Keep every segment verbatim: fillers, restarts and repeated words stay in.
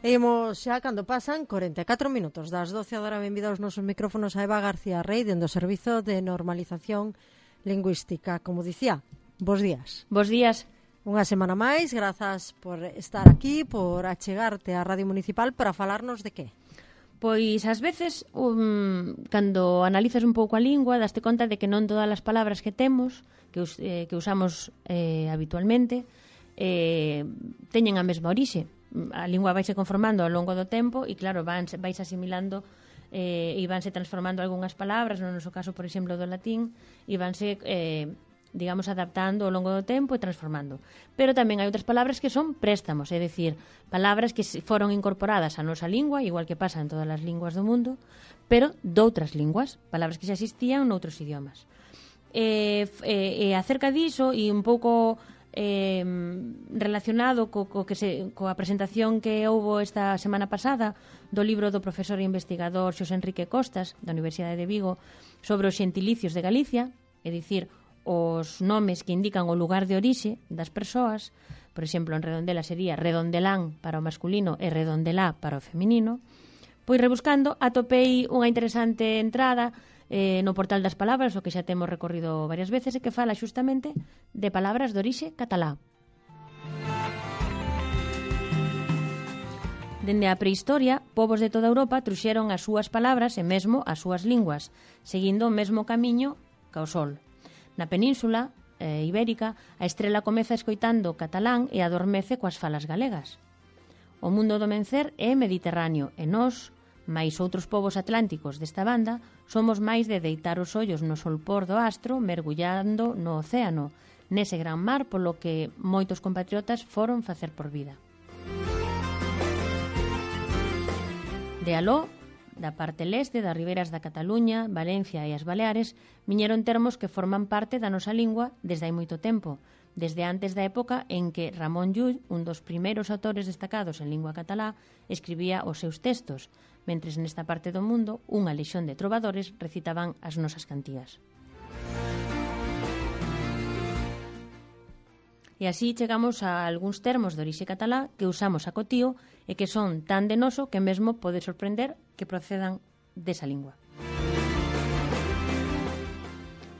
Imos xa cando pasan corenta e catro minutos das doce, agora benvida aos nosos micrófonos a Eva García Rey dende o Servizo de Normalización Lingüística. Como dicía, bos días. Bos días. Unha semana máis, grazas por estar aquí, por achegarte á Radio Municipal para falarnos de que? Pois ás veces, um, cando analizas un pouco a lingua, daste conta de que non todas as palabras que temos, que, us, eh, que usamos eh, habitualmente, eh, teñen a mesma orixe. A lingua vaise conformando ao longo do tempo e, claro, vais, vais asimilando eh, e vanse transformando algunhas palabras, no noso caso, por exemplo, do latín, e vanse, eh, digamos, adaptando ao longo do tempo e transformando. Pero tamén hai outras palabras que son préstamos, é dicir, palabras que foron incorporadas á nosa lingua, igual que pasa en todas as linguas do mundo, pero doutras linguas, palabras que xa existían noutros idiomas. E, e, e acerca diso, e un pouco Eh, relacionado co, co que se, coa presentación que houbo esta semana pasada do libro do profesor e investigador Xosé Enrique Costas da Universidade de Vigo sobre os xentilicios de Galicia, é dicir, os nomes que indican o lugar de orixe das persoas. Por exemplo, en Redondela sería Redondelán para o masculino e Redondelá para o feminino. Pois rebuscando atopei unha interesante entrada Eh, no portal das palabras, o que xa temos recorrido varias veces, e que fala xustamente de palabras de orixe catalá. Dende a prehistoria, povos de toda Europa truxeron as súas palabras e mesmo as súas linguas, seguindo o mesmo camiño ca o sol. Na península eh, ibérica, a estrela comeza escoitando catalán e adormece coas falas galegas. O mundo do mencer é mediterráneo e nós, máis outros povos atlánticos desta banda, somos máis de deitar os ollos no solpor do astro mergullando no océano, nese gran mar polo que moitos compatriotas foron facer por vida. De aló, da parte leste das ribeiras da Cataluña, Valencia e as Baleares, viñeron termos que forman parte da nosa lingua desde hai moito tempo, desde antes da época en que Ramón Llull, un dos primeiros autores destacados en lingua catalá, escribía os seus textos, mentres nesta parte do mundo unha lexión de trovadores recitaban as nosas cantías. E así chegamos a algúns termos de orixe catalá que usamos a cotío e que son tan de noso que mesmo pode sorprender que procedan desa lingua.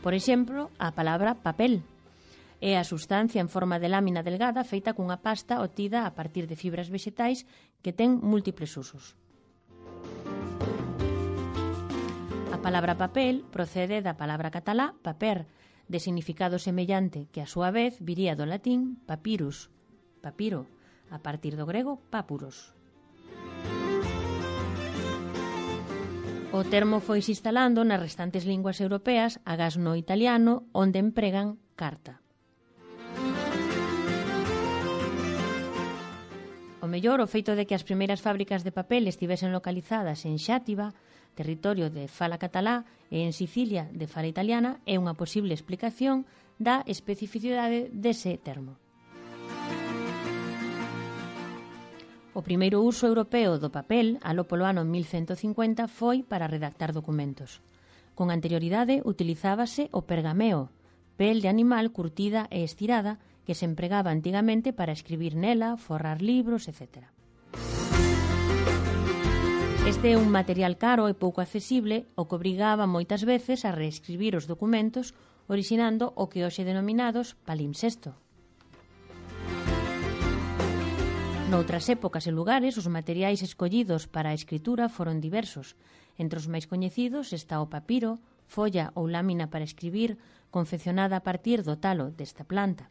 Por exemplo, a palabra papel é a substancia en forma de lámina delgada feita cunha pasta obtida a partir de fibras vexetais que ten múltiples usos. A palabra papel procede da palabra catalá paper, de significado semellante que a súa vez viría do latín papyrus, papiro, a partir do grego papuros. O termo foi se instalando nas restantes linguas europeas, agás no italiano, onde empregan carta. O mellor, o feito de que as primeiras fábricas de papel estivesen localizadas en Xátiva, territorio de fala catalá, e en Sicilia, de fala italiana, é unha posible explicación da especificidade dese termo. O primeiro uso europeo do papel, aló polo ano mil ciento cincuenta, foi para redactar documentos. Con anterioridade utilizábase o pergameo, pel de animal curtida e estirada, que se empregaba antigamente para escribir nela, forrar libros, etcétera. Este é un material caro e pouco accesible, o que obrigaba moitas veces a reescribir os documentos, orixinando o que hoxe denominados palimpsesto. Noutras épocas e lugares, os materiais escollidos para a escritura foron diversos. Entre os máis coñecidos está o papiro, folla ou lámina para escribir, confeccionada a partir do talo desta planta.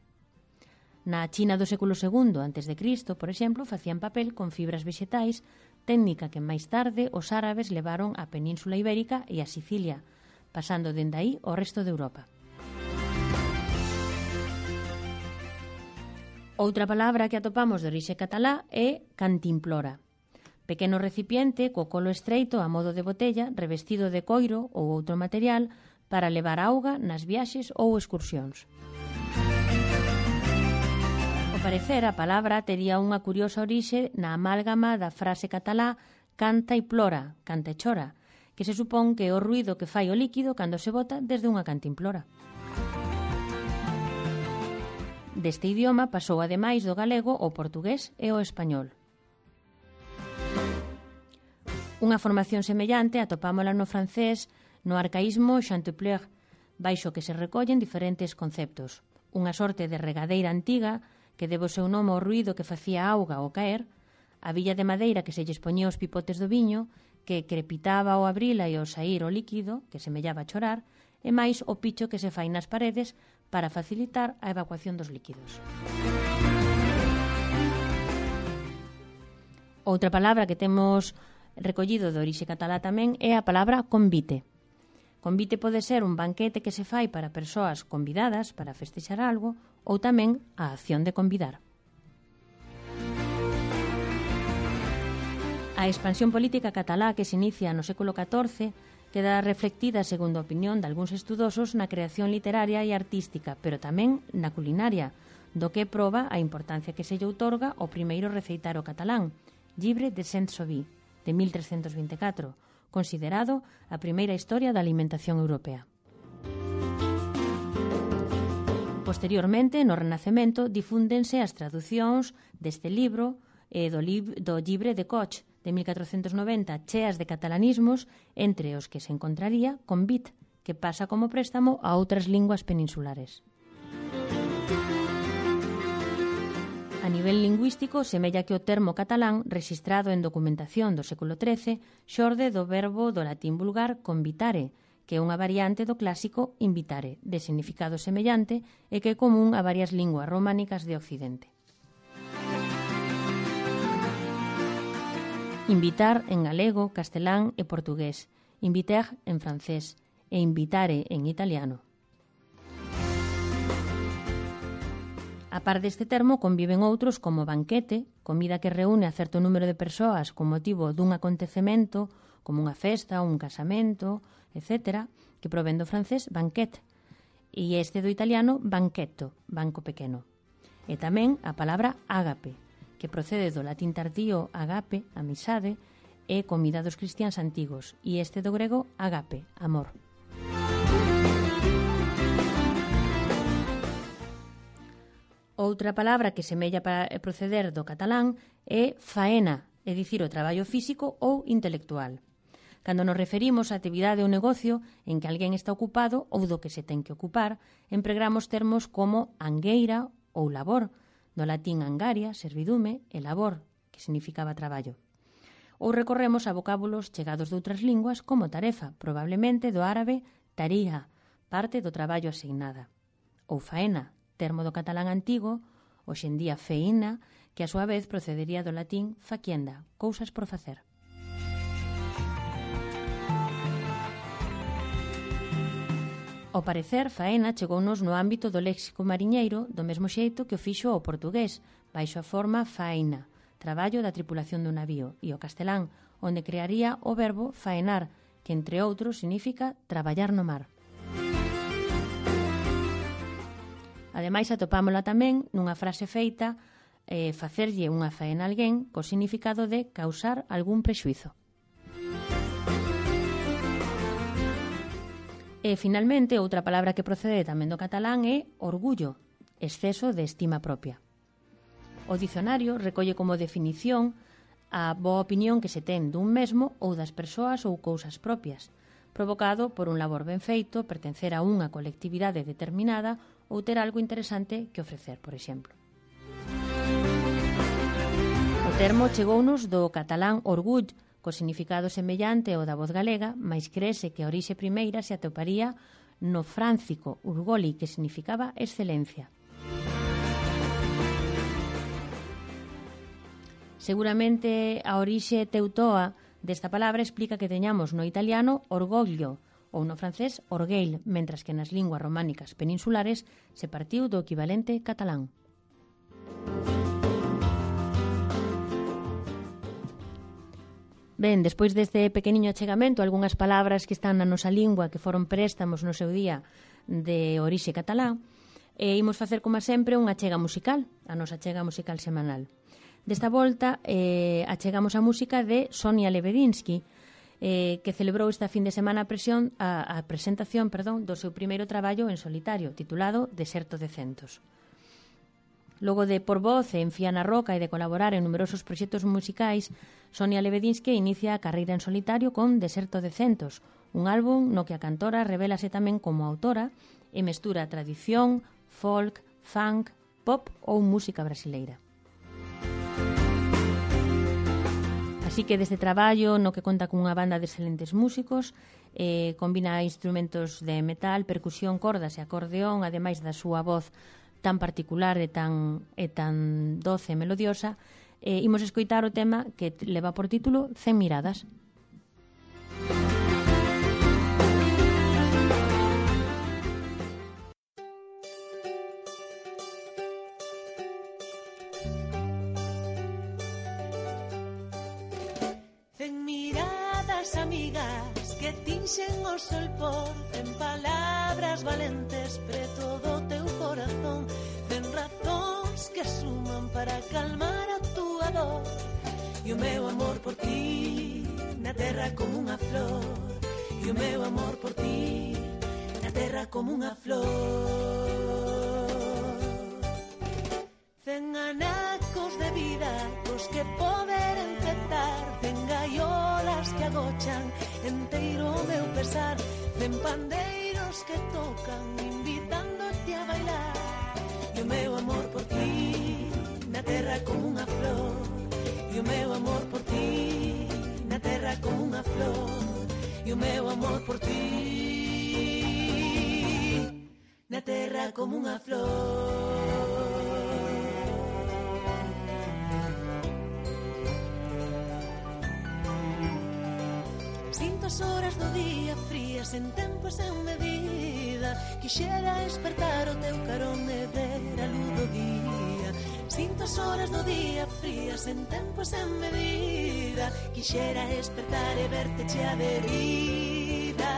Na China do século segundo antes de Cristo, por exemplo, facían papel con fibras vexetais, técnica que máis tarde os árabes levaron á Península Ibérica e a Sicilia, pasando dende aí ao resto de Europa. Outra palabra que atopamos de orixe catalá é cantimplora. Pequeno recipiente co colo estreito a modo de botella, revestido de coiro ou outro material para levar auga nas viaxes ou excursións. parecer, a palabra tería unha curiosa orixe na amálgama da frase catalá canta e plora, canta e chora, que se supón que é o ruído que fai o líquido cando se bota desde unha cantimplora. Deste idioma pasou ademais do galego o portugués e o español. Unha formación semellante atopámola no francés no arcaísmo chantepleur, baixo que se recollen diferentes conceptos. Unha sorte de regadeira antiga que debo seu nome ao ruído que facía a auga ao caer, a villa de madeira que se lles poñía os pipotes do viño, que crepitaba ao abrila e ao saír o líquido, que semellaba chorar, e máis o picho que se fai nas paredes para facilitar a evacuación dos líquidos. Outra palabra que temos recollido de orixe catalá tamén é a palabra convite. Convite pode ser un banquete que se fai para persoas convidadas para festexar algo ou tamén a acción de convidar. A expansión política catalá que se inicia no século catorce queda reflectida, segundo a opinión de algúns estudosos, na creación literaria e artística, pero tamén na culinaria, do que proba a importancia que se lle outorga ao primeiro receitaro catalán, Llibre de Saint-Sauvy, de mil trescentos vinte e catro, considerado a primeira historia da alimentación europea. Posteriormente, no Renacemento, difúndense as traducións deste libro e do, lib do Llibre de Coch, de mil catrocentos noventa, cheas de catalanismos, entre os que se encontraría Convit, que pasa como préstamo a outras linguas peninsulares. A nivel lingüístico, semella que o termo catalán, rexistrado en documentación do século trece, xorde do verbo do latín vulgar convitare, que é unha variante do clásico invitare, de significado semellante e que é común a varias linguas románicas de Occidente. Invitar en galego, castelán e portugués, inviter en francés e invitare en italiano. A par deste termo conviven outros como banquete, comida que reúne a certo número de persoas con motivo dun acontecemento, como unha festa, un casamento, etcétera, que provén do francés banquet, e este do italiano banquetto, banco pequeno. E tamén a palabra ágape, que procede do latín tardío agape, amizade, e comida dos cristiáns antigos, e este do grego agape, amor. Outra palabra que semella para proceder do catalán é faena, é dicir, o traballo físico ou intelectual. Cando nos referimos á actividade ou negocio en que alguén está ocupado ou do que se ten que ocupar, empregamos termos como angueira ou labor, do latín angaria, servidume, e labor, que significaba traballo. Ou recorremos a vocábulos chegados de outras linguas como tarefa, probablemente do árabe taría, parte do traballo asignada. Ou faena, termo do catalán antigo, hoxe en día feina, que a súa vez procedería do latín facienda, cousas por facer. Ao parecer, faena chegounos no ámbito do léxico mariñeiro do mesmo xeito que o fixo o portugués, baixo a forma faena, traballo da tripulación dun navío, e o castelán, onde crearía o verbo faenar, que entre outros significa traballar no mar. Ademais, atopámola tamén nunha frase feita eh, facerlle unha faena a alguén co significado de causar algún prexuizo. E, finalmente, outra palabra que procede tamén do catalán é orgullo, exceso de estima propia. O dicionario recolle como definición a boa opinión que se ten dun mesmo ou das persoas ou cousas propias, provocado por un labor ben feito, pertencer a unha colectividade determinada ou ter algo interesante que ofrecer, por exemplo. O termo chegounos do catalán orgull, co significado semellante ao da voz galega, mais crese que a orixe primeira se atoparía no fráncico urgoli, que significaba excelencia. Seguramente a orixe teutoa desta palabra explica que teñamos no italiano orgoglio, ou no francés orgueil, mentras que nas linguas románicas peninsulares se partiu do equivalente catalán. Ben, despois deste pequeniño achegamento, algunhas palabras que están na nosa lingua que foron préstamos no seu día de orixe catalá, e imos facer, como sempre, unha achega musical, a nosa achega musical semanal. Desta volta, eh, achegamos a música de Sonia Lebedinsky, eh, que celebrou esta fin de semana a, presión, a, a presentación perdón, do seu primeiro traballo en solitario, titulado Deserto de Centos. Logo de por voz e en Fía na Roca e de colaborar en numerosos proxectos musicais, Sonia Lebedinsky inicia a carreira en solitario con Deserto de Centos, un álbum no que a cantora revélase tamén como autora e mestura tradición, folk, funk, pop ou música brasileira. Así que deste traballo, no que conta cunha banda de excelentes músicos, eh, combina instrumentos de metal, percusión, cordas e acordeón, ademais da súa voz tan particular e tan, e tan doce e melodiosa, eh, imos escoitar o tema que leva por título Cen miradas. Cen miradas amigas que tinxen o sol por cen palabras valentes preto do teu corazón, cen razóns que suman para calmar a túa dor, e o meu amor por ti na terra como unha flor, e o meu amor por ti na terra como unha flor. Cen anacos de vida cos que poder empezar, cen gaiolas que agochan enteiro o meu pesar, cen pandeiros que tocan invitándote a bailar, e o meu amor por ti na terra como unha flor, e o meu amor por ti na terra como unha flor, e o meu amor por ti na terra como unha flor. Sinto as horas do día frías en tempo e sen medida, quixera despertar o teu carón e ver a luz do día. Sinto as horas do día frías en tempo e sen medida, quixera despertar e verte chea de vida.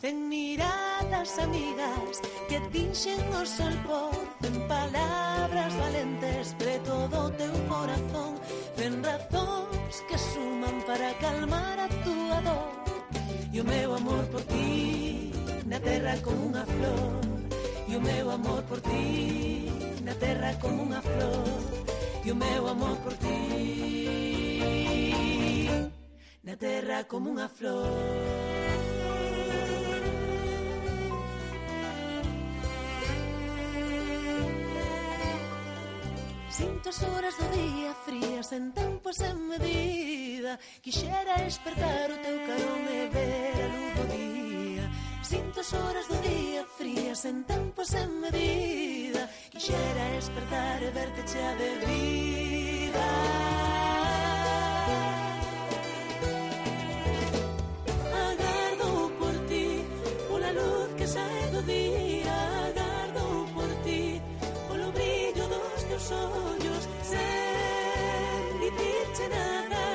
Cen miradas amigas que tinxen o sol por cen palabras valentes preto do teu corazón, cen razóns que suman para calmar a túa dor, e o meu amor por ti na terra como unha flor, e o meu amor por ti na terra como unha flor, e o meu amor por ti na terra como unha flor. Sinto as horas do día frías en tempo e sen medida, quixera despertar o teu carón e ver a luz do día. Sinto as horas do día frías en tempo e sen medida, quixera despertar e verte chea de vida. Agardo por ti, pola luz que sae do día, agardo por ti, polo brillo dos teus ollos, sen dicirche nada,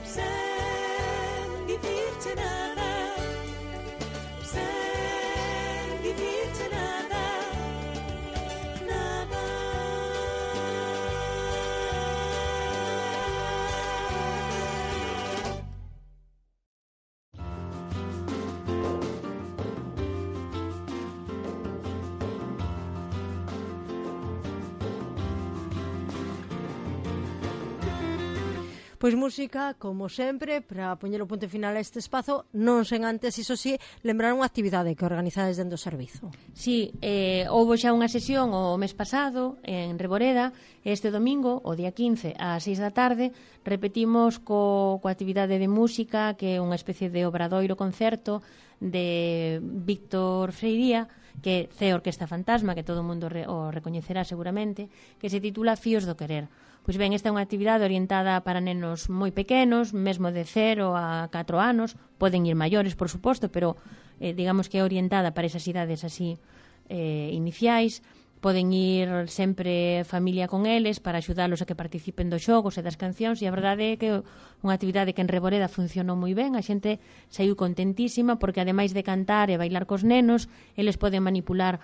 sen dicirche nada, sen dicirche nada, nada. Pois música, como sempre, para poñer o punto final a este espazo, non sen antes, iso sí, lembrar unha actividade que organizades dentro do servizo. Sí, eh, houve xa unha sesión o mes pasado en Reboreda, este domingo, o día quince, ás seis da tarde, repetimos co, coa actividade de música, que é unha especie de obradoiro concerto de Víctor Freiría, que é Orquesta Fantasma, que todo o mundo re, o recoñecerá seguramente, que se titula Fíos do Querer. Pois ben, esta é unha actividade orientada para nenos moi pequenos, mesmo de cero a catro anos, poden ir maiores, por suposto, pero eh, digamos que é orientada para esas idades así eh, iniciais. Poden ir sempre familia con eles para axudalos a que participen dos xogos e das cancións, e a verdade é que unha actividade que en Reboreda funcionou moi ben, a xente saiu contentísima porque ademais de cantar e bailar cos nenos, eles poden manipular